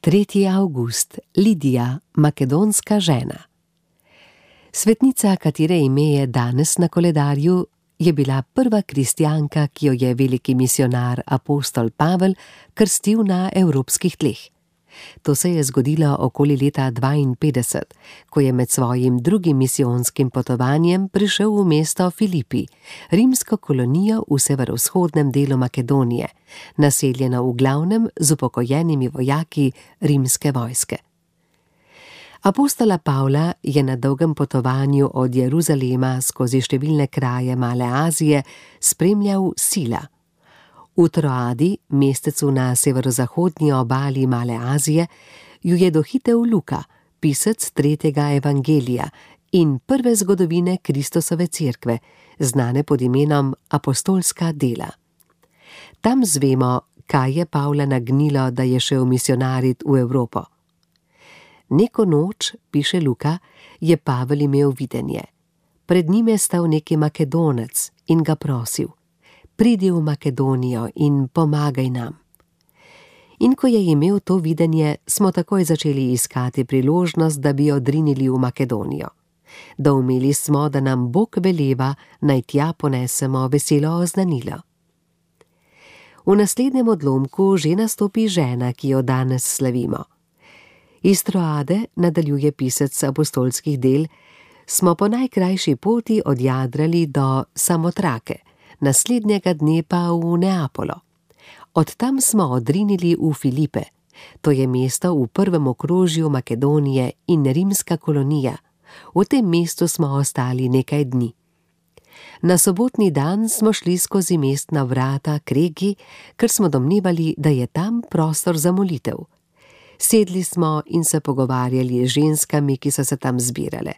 3. avgust, Lidija, makedonska žena. Svetnica, katere ime je danes na koledarju, je bila prva kristjanka, ki jo je veliki misionar apostol Pavel krstil na evropskih tleh. To se je zgodilo okoli leta 52, ko je med svojim drugim misijonskim potovanjem prišel v mesto Filipi, rimsko kolonijo v severovzhodnem delu Makedonije, naseljeno v glavnem z upokojenimi vojaki rimske vojske. Apostola Pavla je na dolgem potovanju od Jeruzalema skozi številne kraje Male Azije spremljal Sila. V Troadi, mestecu na severozahodnji obali Male Azije, ju je dohitel Luka, pisec 3. evangelija in prve zgodovine Kristusove cerkve, znane pod imenom Apostolska dela. Tam zvemo, kaj je Pavla nagnilo, da je šel misionarit v Evropo. Neko noč, piše Luka, je Pavel imel videnje. Pred njim je stal neki Makedonec in ga prosil: pridi v Makedonijo in pomagaj nam. In ko je imel to videnje, smo takoj začeli iskati priložnost, da bi odrinili v Makedonijo. Doumeli smo, da nam Bog veleva, naj tja ponesemo veselo oznanilo. V naslednjem odlomku že nastopi žena, ki jo danes slavimo. Iz Troade, nadaljuje pisec apostolskih del, smo po najkrajši poti odjadrali do Samotrake, naslednjega dne pa v Neapolo. Od tam smo odrinili v Filipe, to je mesto v prvem okrožju Makedonije in rimska kolonija. V tem mestu smo ostali nekaj dni. Na sobotni dan smo šli skozi mestna vrata k reki, ker smo domnevali, da je tam prostor za molitev. Sedli smo in se pogovarjali z ženskami, ki so se tam zbirale.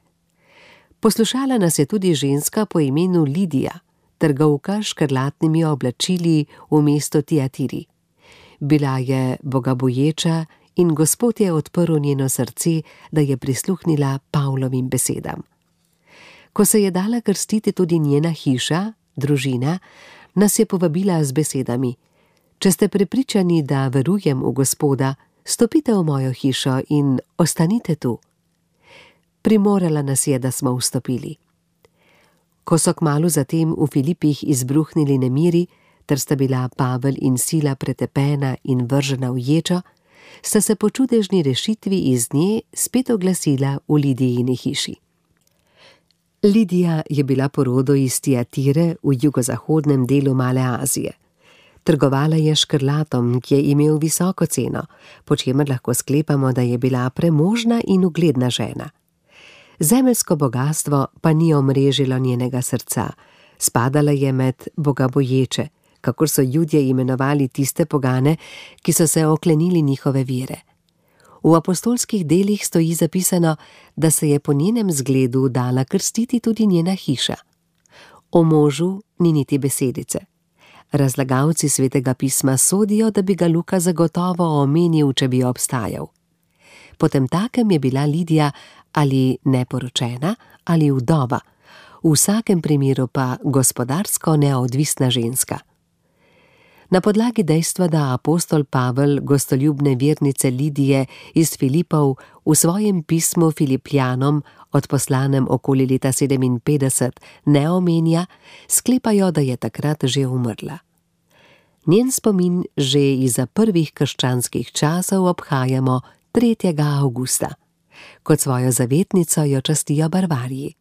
Poslušala nas je tudi ženska po imenu Lidija, trgovka s škrlatnimi oblačili v mestu Tiatiri. Bila je bogaboječa in Gospod je odprl njeno srce, da je prisluhnila Pavlovim besedam. Ko se je dala krstiti tudi njena hiša, družina, nas je povabila z besedami: če ste prepričani, da verujem v Gospoda, stopite v mojo hišo in ostanite tu. Primorala nas je, da smo vstopili. Ko so kmalu zatem v Filipih izbruhnili nemiri, ter sta bila Pavel in Sila pretepena in vržena v ječo, sta se po čudežni rešitvi iz nje spet oglasila v Lidijini hiši. Lidija je bila po rodu iz Tiatire v jugozahodnem delu Male Azije. Trgovala je škrlatom, ki je imel visoko ceno, po čemer lahko sklepamo, da je bila premožna in ugledna žena. Zemeljsko bogastvo pa ni omrežilo njenega srca, spadala je med bogaboječe, kakor so Judje imenovali tiste pogane, ki so se oklenili njihove vere. V apostolskih delih stoji zapisano, da se je po njenem zgledu dala krstiti tudi njena hiša. O možu ni niti besedice. Razlagalci Svetega pisma sodijo, da bi ga Luka zagotovo omenil, če bi obstajal. Potemtakem je bila Lidija ali neporočena ali vdova, v vsakem primeru pa gospodarsko neodvisna ženska. Na podlagi dejstva, da apostol Pavel gostoljubne vernice Lidije iz Filipov v svojem pismu Filipljanom, odposlanem okoli leta 57, ne omenja, sklepajo, da je takrat že umrla. Njen spomin že izza prvih krščanskih časov obhajamo 3. avgusta. Kot svojo zavetnico jo častijo Barvariji.